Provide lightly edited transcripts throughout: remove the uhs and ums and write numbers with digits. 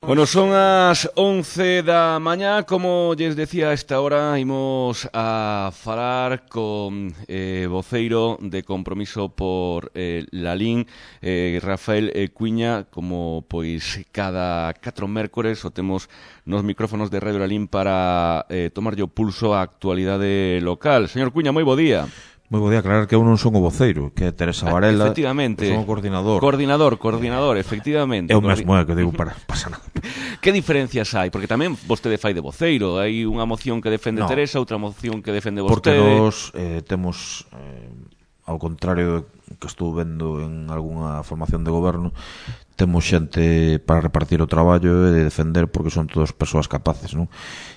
Bueno, son as 11 da mañá, como lles decía a esta hora, imos a falar con voceiro de Compromiso por Lalín, Rafael Cuiña, como pois cada 4 mércores o temos nos micrófonos de Radio Lalín para tomarlle o pulso á actualidade local. Señor Cuiña, moi bo día. Moi bo día, aclarar que eu non son o voceiro, que é Teresa Varela. Efectivamente. Son o coordinador. Coordinador, efectivamente. É o mesmo, que digo, para pasar nada. Que diferencias hai? Porque tamén vostede fai de voceiro. Hai unha moción que defende Teresa, outra moción que defende vostede. Porque nós temos, ao contrario que estou vendo en algunha formación de goberno, temos xente para repartir o traballo e de defender, porque son todas persoas capaces, non?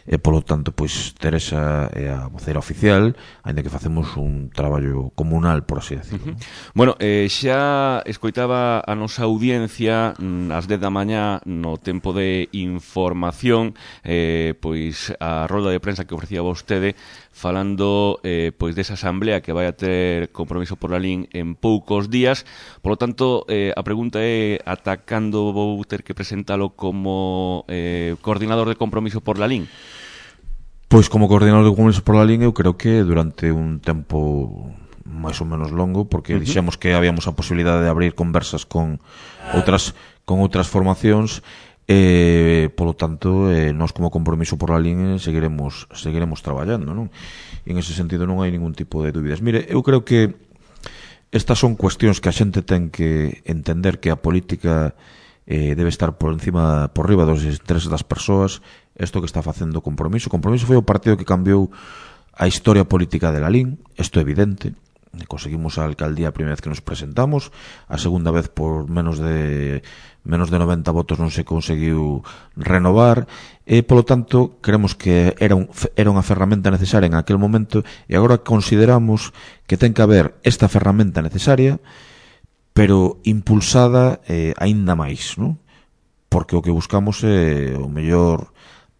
E polo tanto, pois Teresa é a voceira oficial, aínda que facemos un traballo comunal, por así decirlo. Bueno, xa escoitaba a nosa audiencia ás 10 da mañá no tempo de información, pois a rolda de prensa que ofrecía vostede falando pois desa asamblea que vai a ter Compromiso por Lalín en poucos días. Por lo tanto, a pregunta é ata cando vou ter que presentalo como coordinador de Compromiso por Lalín? Pois como coordinador de Compromiso por Lalín eu creo que durante un tempo máis ou menos longo, porque dixemos que habíamos a posibilidade de abrir conversas con outras formacións. Polo tanto, nós como Compromiso por Lalín seguiremos traballando, non? E en ese sentido non hai ningún tipo de dúbidas. Mire, eu creo que estas son cuestións que a xente ten que entender, que a política debe estar por riba dos intereses das persoas. Isto que está facendo Compromiso foi o partido que cambiou a historia política de Lalín, isto é evidente. Conseguimos a alcaldía a primeira vez que nos presentamos, a segunda vez por menos de 90 votos non se conseguiu renovar, e polo tanto creemos que era unha ferramenta necesaria en aquel momento, e agora consideramos que ten que haber esta ferramenta necesaria, pero impulsada aínda máis, non? Porque o que buscamos é o mellor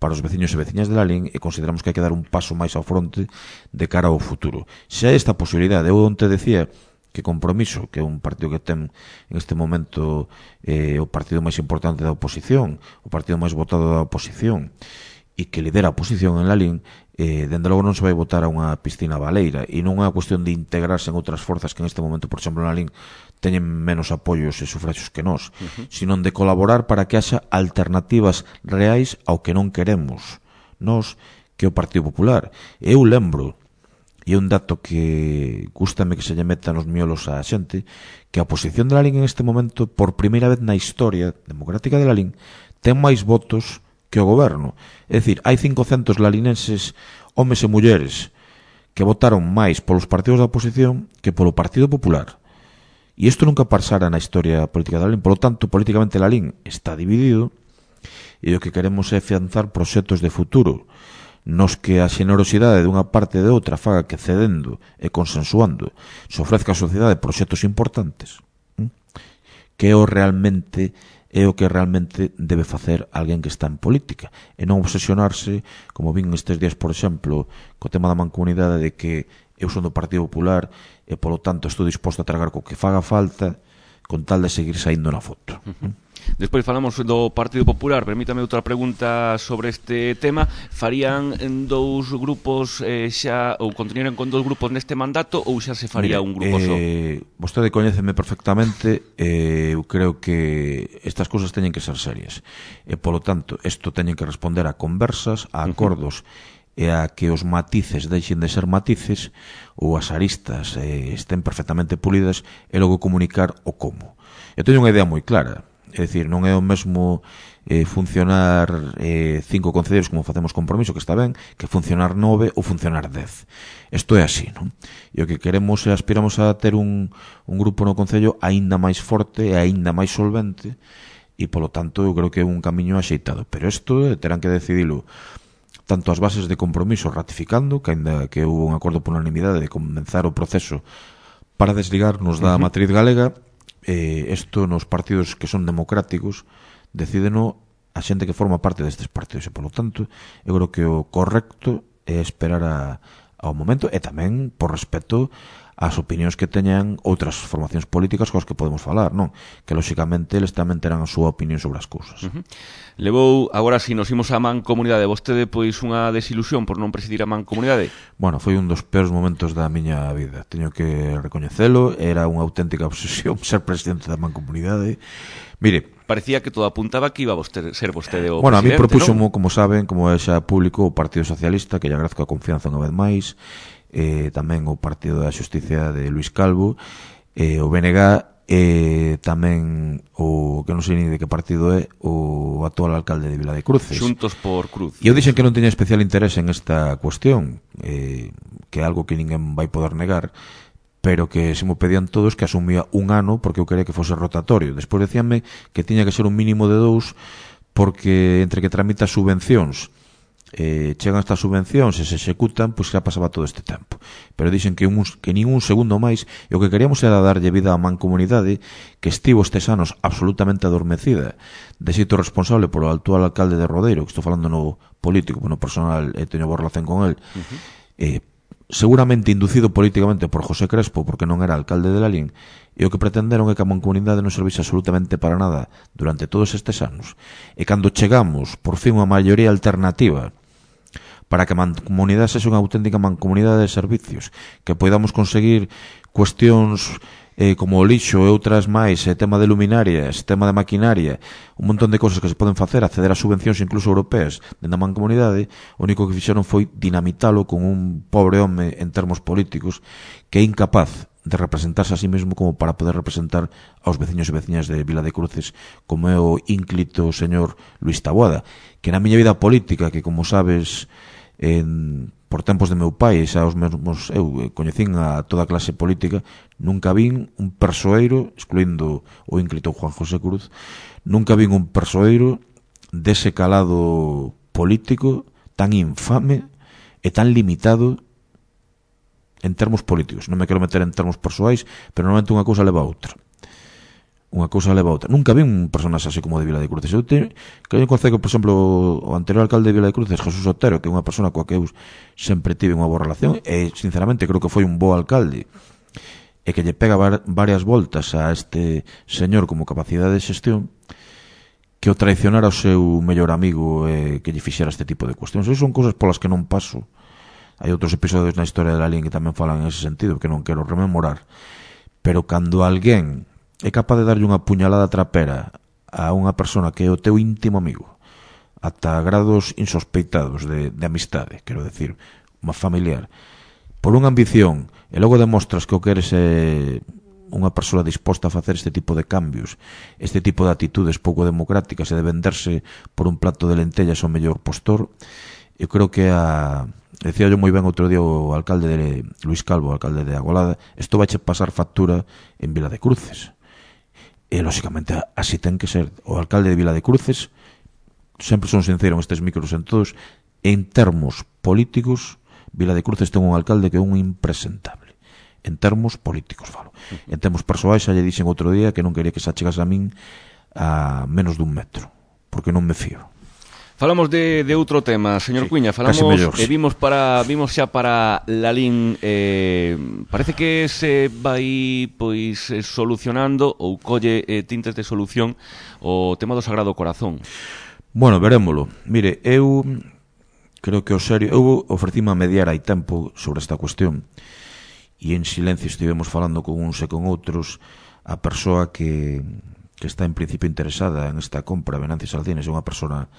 para os veciños e veciñas de Lalín, e consideramos que hai que dar un paso máis ao fronte de cara ao futuro. Se hai esta posibilidade, eu onte decía que Compromiso, que é un partido que ten en este momento o partido máis importante da oposición, o partido máis votado da oposición, e que lidera a oposición en Lalín, dende logo non se vai votar a unha piscina baleira, e non é unha cuestión de integrarse en outras forzas que en este momento, por exemplo, en Lalín teñen menos apoios e sufraxos que nós, sino de colaborar para que haxa alternativas reais ao que non queremos nós, que é o Partido Popular. Eu lembro, e é un dato que gústame que se lle meta nos miolos a xente, que a oposición de Lalín en este momento, por primeira vez na historia democrática de Lalín, ten máis votos que o goberno. É dicir, hai 500 lalinenses, homes e mulleres, que votaron máis polos partidos da oposición que polo Partido Popular. E isto nunca pasara na historia política de Lalín. Por lo tanto, políticamente Lalín está dividido, e o que queremos é afianzar proxectos de futuro nos que a xenerosidade dunha parte e de outra faga que cedendo e consensuando se ofrezca á sociedade proxectos importantes, que é o que realmente debe facer alguén que está en política, e non obsesionarse, como vin estes días, por exemplo, co tema da mancomunidade, de que eu son do Partido Popular e polo tanto estou disposto a tragar co que faga falta con tal de seguir saindo na foto. Despois falamos do Partido Popular. Permítame outra pregunta sobre este tema. Farían dous grupos xa, ou continuarían con dous grupos neste mandato, ou xa se faría un grupo só? Vostede coñéceme perfectamente. Eu creo que estas cousas teñen que ser serias, e polo tanto isto teñen que responder a conversas, a acordos, e a que os matices deixen de ser matices, ou as aristas estén perfectamente pulidas, e logo comunicar o como. Eu teño unha idea moi clara, é dicir, non é o mesmo funcionar 5 concelleiros como facemos Compromiso, que está ben, que funcionar 9 ou funcionar 10. Isto é así, non? E o que queremos e aspiramos a ter un grupo no concello aínda máis forte e aínda máis solvente, e polo tanto eu creo que é un camiño axeitado, pero isto terán que decidilo tanto as bases de Compromiso ratificando, que aínda que houve un acordo por unanimidade de comenzar o proceso para desligarnos da matriz galega, isto nos partidos que son democráticos decídeno a xente que forma parte destes partidos, e polo tanto eu creo que o correcto é esperar ao momento, e tamén por respeto as opinións que teñan outras formacións políticas cos que podemos falar, non? Que, lóxicamente, eles tamén terán a súa opinión sobre as cousas. Levou, agora si nos imos á mancomunidade, vostede, pois, unha desilusión por non presidir a mancomunidade? Bueno, foi un dos peores momentos da miña vida. Teño que recoñecelo, era unha auténtica obsesión ser presidente da mancomunidade. Mire, parecía que todo apuntaba que iba a ser vostede o bueno, presidente, a mí propúxomo, ¿no? Como saben, como é xa público, o Partido Socialista, que lle agradezco a confianza unha vez máis, tamén o Partido da Xusticia de Luís Calvo, o BNG, tamén o que non sei ni de que partido é o actual alcalde de Vila de Cruces. Xuntos por Cruz. E eu dixen que non teña especial interés en esta cuestión, que é algo que ninguén vai poder negar, pero que se me pedían todos que asumía un ano porque eu quería que fose rotatorio. Despois decíanme que tiña que ser un mínimo de 2 porque entre que tramita subvencións, chegan estas subvencións e se executan, pois xa pasaba todo este tempo. Pero dixen que nin un segundo máis, e o que queríamos era darlle vida á mancomunidade que estivo estes anos absolutamente adormecida, de xeito responsable polo actual alcalde de Rodeiro, que estou falando no político, no personal, teño boa relación con el, seguramente inducido políticamente por José Crespo, porque non era alcalde de Lalín, e o que pretenderon é que a mancomunidade non servise absolutamente para nada durante todos estes anos. E cando chegamos, por fin, unha maioría alternativa para que a mancomunidade sexa unha auténtica mancomunidade de servicios, que podamos conseguir cuestións como o lixo e outras máis, tema de luminarias, tema de maquinaria, un montón de cosas que se poden facer, acceder a subvencións incluso europeas dentro da mancomunidade. O único que fixeron foi dinamitalo con un pobre home en termos políticos que é incapaz de representarse a sí mesmo como para poder representar aos veciños e veciñas de Vila de Cruces, como é o ínclito señor Luís Taboada, que na miña vida política, que como sabes, por tempos de meu pai, xa os mesmos eu coñecín a toda a clase política, nunca vin un persoeiro, excluindo o ínclito Juan José Cruz, nunca vin un persoeiro dese calado político tan infame e tan limitado en termos políticos. Non me quero meter en termos persoais, pero normalmente unha cousa leva a outra. Nunca vi un personaxe así como de Vila de Cruces. Eu concedo, por exemplo, o anterior alcalde de Vila de Cruces, Jesús Otero, que é unha persona coa que eu sempre tive unha boa relación, e sinceramente creo que foi un bo alcalde, e que lle pega varias voltas a este señor como capacidade de xestión, que o traicionara o seu mellor amigo e que lle fixera este tipo de cuestións. Esas son cousas polas que non paso. Hai outros episodios na historia de Lalín que tamén falan en ese sentido, que non quero rememorar. Pero cando alguén é capaz de darlle unha puñalada trapera a unha persona que é o teu íntimo amigo, ata grados insospeitados de amistade, quero decir, unha familiar, por unha ambición, e logo demostras que o que eres é unha persoa disposta a facer este tipo de cambios, este tipo de actitudes pouco democráticas e de venderse por un plato de lentellas ao mellor postor, eu creo que decía yo moi ben outro día o alcalde de Luís Calvo, o alcalde de Agolada, isto vai pasar factura en Vila de Cruces. E, lóxicamente, así ten que ser. O alcalde de Vila de Cruces, sempre son sincero en estes micros en todos, en termos políticos, Vila de Cruces ten un alcalde que é un impresentable. En termos políticos, falo. En termos persoais, xa lle dixen outro día que non quería que se achegase a min a menos dun metro, porque non me fío. Falamos de outro tema, señor Cuiña, falamos e vimos xa para Lalín, parece que se vai pois solucionando ou colle tintes de solución o tema do Sagrado Corazón. Bueno, verémolo. Mire, eu creo que eu ofrecíme a mediar hai tempo sobre esta cuestión e en silencio estivemos falando con uns e con outros. A persoa que está en principio interesada en esta compra, Venancio Salcines, é unha persona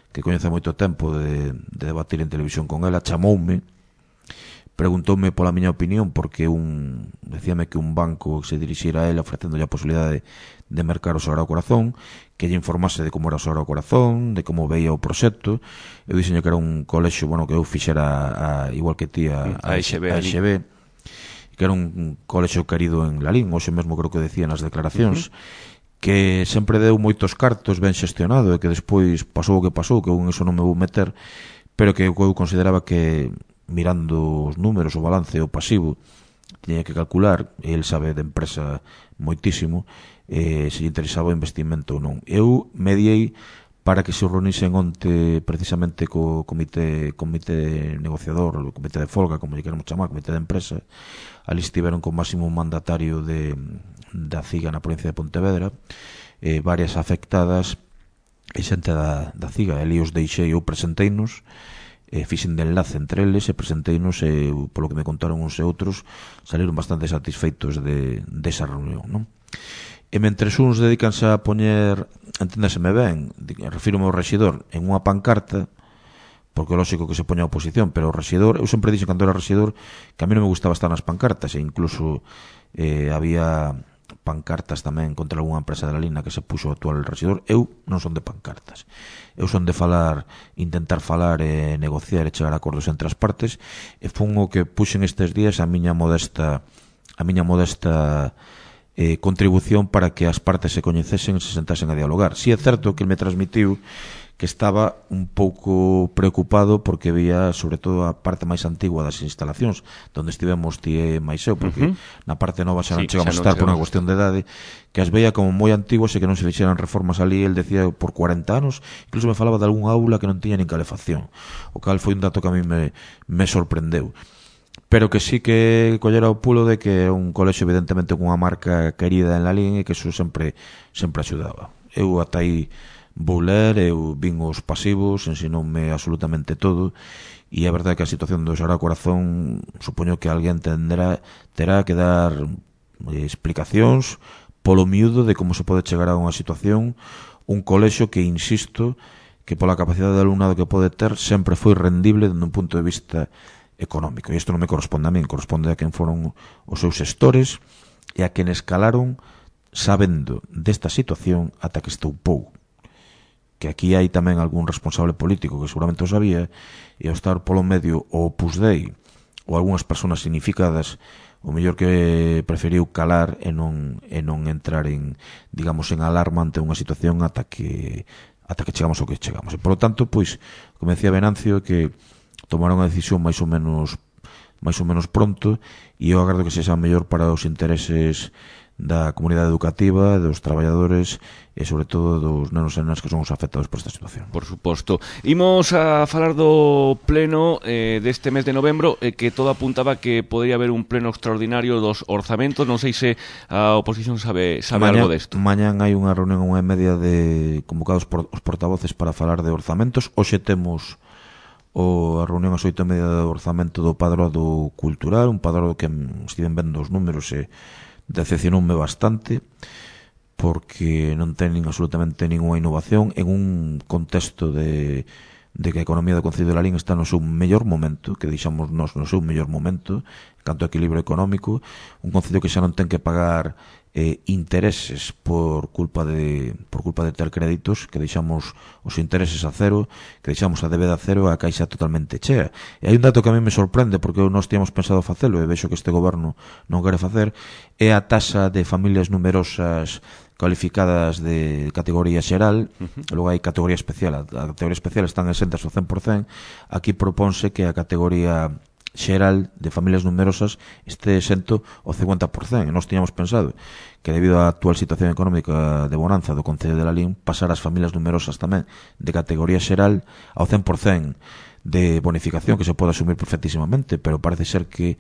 que coñece moito tempo de debatir en televisión con ela, chamoume, preguntoume pola miña opinión, porque decíame que un banco se dirixira a ela ofrecéndolle a posibilidade de mercar o Sagrado Corazón, que lle informase de como era o Sagrado Corazón, de como veía o proxecto. Eu dixenlle que era un colexio, que eu fixera igual que ti a EXB, que era un colexio querido en Lalín, hoxe mesmo creo que decía nas declaracións, que sempre deu moitos cartos ben xestionado e que despois pasou o que pasou, que eu en eso non me vou meter, pero que eu consideraba que mirando os números, o balance, o pasivo, tiña que calcular, e el sabe de empresa moitísimo, se lle interesaba o investimento ou non. Eu mediei para que se reunisen onte precisamente co comité negociador, o comité de folga, como lle queremos chamar, comité de empresa. Ali estiveron con máximo mandatario da CIGA na provincia de Pontevedra, varias afectadas e xente da CIGA. Ali os deixei, eu presenteinos, fixen de enlace entre eles e presenteinos, e polo que me contaron uns e outros saliron bastante satisfeitos desa reunión, non? E mentres uns dedícanse a poñer, enténdaseme ben, refírome ao rexidor, en unha pancarta, porque é lógico que se poña a oposición, pero o rexidor, eu sempre dixo cando era rexidor que a mí non me gustaba estar nas pancartas, e incluso había pancartas tamén contra algunha empresa de la Lina que se puxo o actual rexidor. Eu non son de pancartas, eu son de falar, intentar falar e negociar e chegar a acordos entre as partes, e fun o que puxen estes días a miña modesta contribución para que as partes se coñecesen e se sentasen a dialogar. Si é certo que ele me transmitiu que estaba un pouco preocupado porque vía, sobre todo, a parte máis antigua das instalacións, donde estivemos ti e máis eu, porque na parte nova xa non chegamos a estar por unha cuestión de idade, que as veía como moi antiguas e que non se fixeran reformas ali. El decía por 40 anos, incluso me falaba de algún aula que non tiña nin calefacción, o cal foi un dato que a mí me sorprendeu. Pero que sí que collera o pulo de que é un colexo evidentemente con unha marca querida en Lalín e que eso sempre axudaba. Eu ata aí vou ler, eu vin os pasivos, ensinoume absolutamente todo, e é verdade que a situación do Sagrado Corazón supoño que alguén terá que dar explicacións polo miúdo de como se pode chegar a unha situación, un colexo que, insisto, que pola capacidade de alumnado que pode ter sempre foi rendible dende un punto de vista económico. E isto non me corresponde a min, corresponde a quen foron os seus xestores e a quen escalaron sabendo desta situación ata que estoupou. Que aquí hai tamén algún responsable político que seguramente o sabía, e ao estar polo medio o Opus Dei ou algunhas persoas significadas, o mellor que preferiu calar e non entrar en, digamos, en alarma ante unha situación ata que chegamos ao que chegamos. E, polo tanto, pois, como decía Venancio, que tomaron a decisión máis ou menos pronto, e eu agardo que sexa mellor para os intereses da comunidade educativa, dos traballadores e sobre todo dos nenos e nenas que son os afectados por esta situación. Por suposto. Imos a falar do pleno deste mes de novembro, que todo apuntaba que podría haber un pleno extraordinario dos orzamentos. Non sei se a oposición sabe algo desto. Mañán hai unha reunión a 1:30 de convocados por os portavoces para falar de orzamentos. Hoxe temos a reunión ás 8:30 do orzamento do Padroado Cultural, un padroado que estiven vendo os números e decepcionoume bastante, porque non ten absolutamente ninguna innovación en un contexto de que a economía do Concello de Lalín está no seu mellor momento, que deixamos nós no seu mellor momento, canto a equilibrio económico, un concello que xa non ten que pagar intereses por culpa de ter créditos, que deixamos os intereses a cero, que deixamos a débeda a cero, a caixa totalmente chea. E hai un dato que a mí me sorprende, porque nós tínhamos pensado facelo e vexo que este goberno non quere facer, é a taxa de familias numerosas cualificadas de categoría xeral. Logo hai categoría especial. A categoría especial están exentas ao 100%. Aquí propónse que a categoría xeral de familias numerosas este exento ao 50%, e nós tiñamos pensado que debido á actual situación económica de bonanza do Concello de Lalín, pasar as familias numerosas tamén de categoría xeral ao 100% de bonificación, que se pode asumir perfectísimamente, pero parece ser que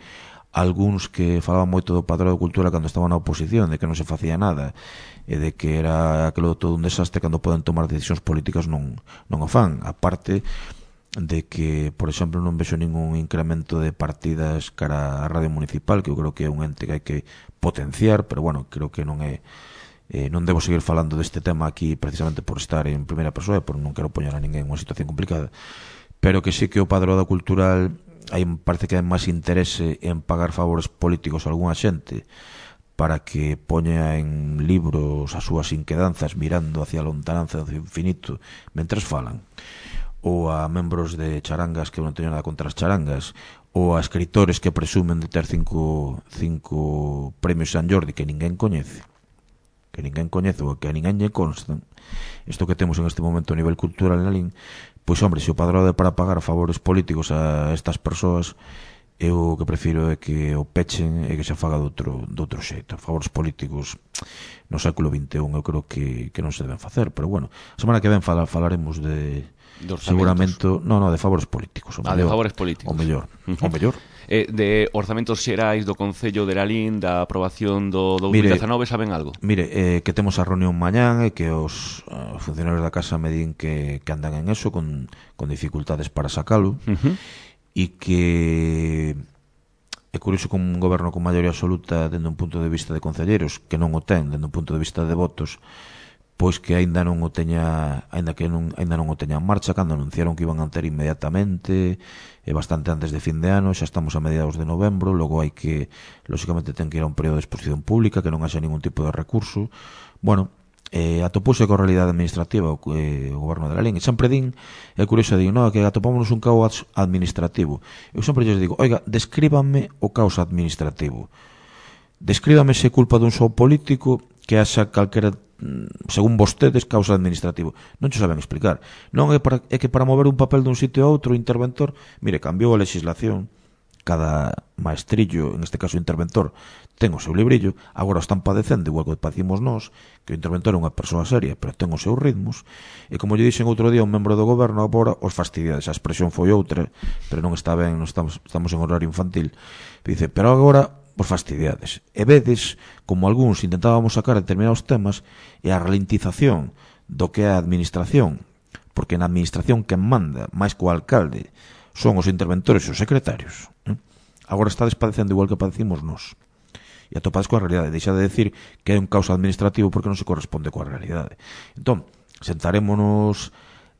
algúns que falaban moito do Padroado de Cultura cando estaban na oposición, de que non se facía nada e de que era aquilo todo un desastre, cando poden tomar decisións políticas non o fan. A parte de que, por exemplo, non vexo ningún incremento de partidas cara a Radio Municipal, que eu creo que é un ente que hai que potenciar, pero bueno, creo que non debo seguir falando deste tema aquí precisamente por estar en primeira persoa e por non quero poñer a ninguén unha situación complicada, pero que sí que o Padroado Cultural parece que hai máis interese en pagar favores políticos a algunha xente para que poña en libros as súas inquedanzas mirando hacia a lontananza do infinito mentres falan, ou a membros de charangas que non teñen nada contra as charangas, ou a escritores que presumen de ter cinco premios San Jordi que ninguén coñece ou que a ninguén lle constan. Isto que temos en este momento a nivel cultural en Lalín, pois hombre, se o Padroado é para pagar favores políticos a estas persoas, eu o que prefiro é que o pechen e que se faga de outro xeito. Favores políticos no século XXI eu creo que non se deben facer, pero bueno, a semana que ven falaremos de seguramente, de favores políticos, de favores políticos. O mellor. De orzamentos xerais do Concello de Lalín, da aprobación do 2019, saben algo? Mire, que temos a reunión mañán e que os funcionarios da casa me din que andan en eso con dificultades para sacalo, e que é curioso como un goberno con maioría absoluta dende un punto de vista de concelleiros, que non o ten dende un punto de vista de votos, pois que aínda non o teña en marcha, cando anunciaron que iban a ter inmediatamente, bastante antes de fin de ano. Xa estamos a mediados de novembro, logo hai que, lóxicamente, ten que ir a un período de exposición pública, que non haxa ningún tipo de recurso. Bueno, atopouse coa realidade administrativa o goberno de Lalín, e sempre din, é curioso, din, que atopámonos un caos administrativo. Eu sempre lles digo, oiga, descríbanme o caos administrativo, descríbame se culpa dun só político, que haxa calquera, según vostedes, causa administrativo. Non xo saben explicar. Non é que para mover un papel dun sitio a outro, o interventor, mire, cambiou a legislación, cada maestrillo, en este caso o interventor, ten o seu librillo, agora o están padecendo, igual que padecimos nós, que o interventor é unha persoa seria, pero ten os seus ritmos, e como lle dixen outro día un membro do goberno, agora os fastidiades, a expresión foi outra, pero non está ben, estamos en horario infantil, dice, pero agora por fastidiades. E vedes como algúns intentábamos sacar determinados temas e a ralentización do que é a administración, porque na administración quen manda, máis co alcalde, son os interventores e os secretarios. Agora estades padecendo igual que padecimos nós. E atopades coa realidade. Deixa de decir que hai un caos administrativo porque non se corresponde coa realidade. Entón, sentarémonos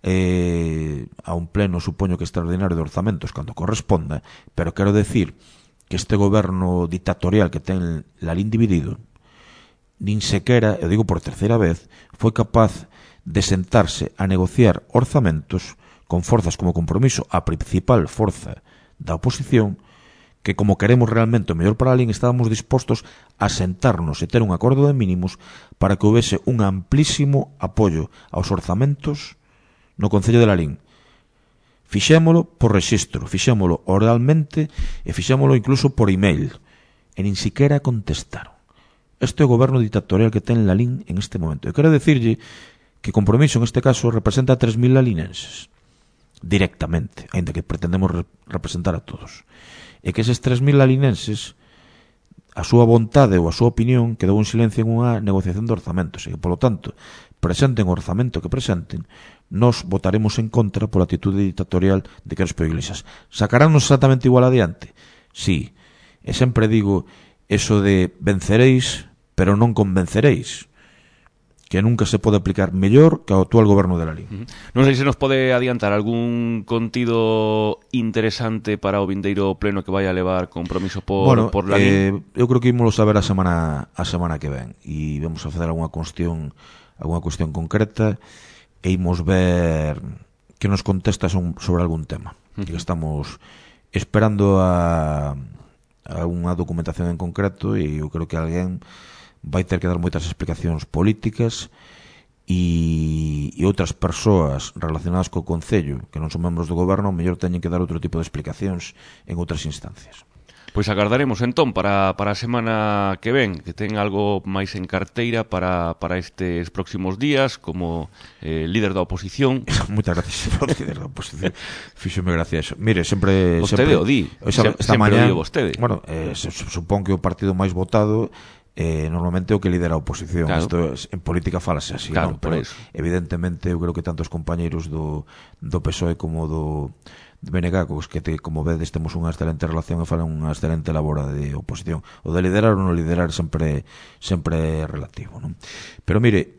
a un pleno, supoño que extraordinario de orzamentos cando corresponda, pero quero decir que este goberno dictatorial que ten Lalín dividido, nin sequera, eu digo por terceira vez, foi capaz de sentarse a negociar orzamentos con forzas como Compromiso, a principal forza da oposición, que como queremos realmente o mellor para Lalín, estábamos dispostos a sentarnos e ter un acordo de mínimos para que houvese un amplísimo apoio aos orzamentos no Concello de Lalín. Fixémolo por rexistro, fixémolo oralmente e fixémolo incluso por email. E nin siquiera contestaron. Este é o goberno dictatorial que ten Lalín en este momento. Eu quero decirlle que Compromiso, en este caso, representa a 3.000 lalinenses. Directamente, ainda que pretendemos representar a todos. E que eses 3.000 lalinenses, a súa vontade ou a súa opinión quedou en silencio en unha negociación de orzamentos. E que, polo tanto, presenten o orzamento que presenten, nos votaremos en contra pola actitude dictatorial de Crespo Iglesias. Sacarános exactamente igual adiante? Sí. E sempre digo eso de venceréis, pero non convenceréis, que nunca se pode aplicar mellor que ao actual goberno de Lalín. Non sei se nos pode adiantar algún contido interesante para o vindeiro pleno que vai a levar Compromiso por Lalín. Eu creo que ímolo saber a semana que ven, e vamos a facer algunha cuestión concreta, e imos ver que nos contesta sobre algún tema. Que estamos esperando a unha documentación en concreto, e eu creo que alguén vai ter que dar moitas explicacións políticas, e outras persoas relacionadas co Concello que non son membros do goberno, mellor teñen que dar outro tipo de explicacións en outras instancias. Pois agardaremos entón para a semana que ven, que ten algo máis en carteira para estes próximos días como líder da oposición. Moitas gracias por líder da oposición. Fíxome gracia eso. Mire, sempre vostede o di. Esta mañá, o di vostede. Bueno, supón que o partido máis votado normalmente o que lidera a oposición. Claro. Isto en política falase así, claro, non? Pero evidentemente eu creo que tanto os compañeiros do PSOE como do BNG, que como vedes temos unha excelente relación e falan unha excelente labor de oposición. O de liderar ou non liderar sempre é relativo, non? Pero mire,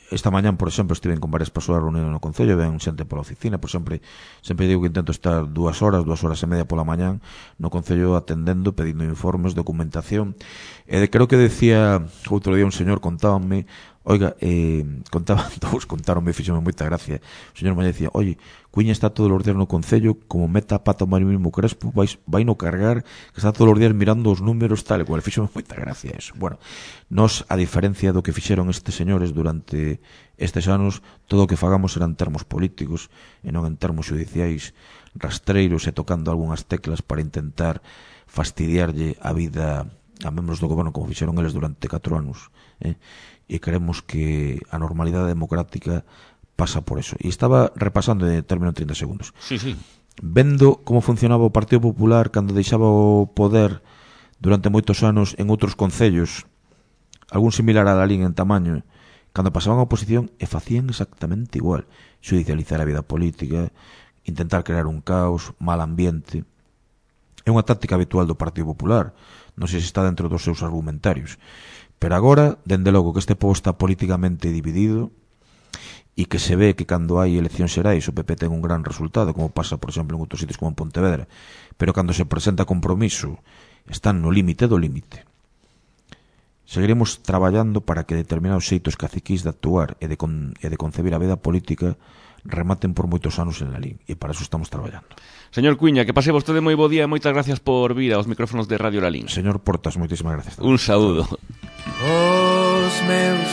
esta mañán, por exemplo, estive con varias persoas reunidas no Concello, ven xente pola oficina, por sempre digo que intento estar 2 horas e media pola mañán no Concello atendendo, pedindo informes, documentación. Creo que decía outro día un señor, contábanme, Oiga, contaronme, fixome moita gracia. O señor Mañé decía, oye, Cuiña está todos os días no Concello, como meta a pata o Marimimo Crespo, vai no cargar, que está todos os días mirando os números tal e cual. Fixome moita gracia eso. Bueno, nos, a diferencia do que fixeron estes señores durante estes anos, todo o que fagamos será en termos políticos e non en termos judiciais, rastreiros e tocando algunhas teclas para intentar fastidiarlle a vida a membros do goberno como fixeron eles durante 4 anos, e creemos que a normalidade democrática pasa por eso. E estaba repasando, termino en 30 segundos. Sí. Vendo como funcionaba o Partido Popular cando deixaba o poder durante moitos anos en outros concellos, algún similar a Lalín en tamaño, cando pasaban a oposición e facían exactamente igual. Judicializar a vida política, intentar crear un caos, mal ambiente. É unha táctica habitual do Partido Popular. Non sei se está dentro dos seus argumentarios. Pero agora, dende logo que este povo está políticamente dividido e que se ve que cando hai eleccións xerais o PP ten un gran resultado, como pasa, por exemplo, en outros sitios como en Pontevedra, pero cando se presenta compromiso están no límite do límite. Seguiremos traballando para que determinados xeitos caciquís de actuar e de concebir a vida política rematen por moitos anos en Lalín, e para eso estamos traballando. Señor Cuiña, que pase vostede moi bo día e moitas gracias por vir aos micrófonos de Radio Lalín. Señor Portas, moitísimas gracias. Un saúdo.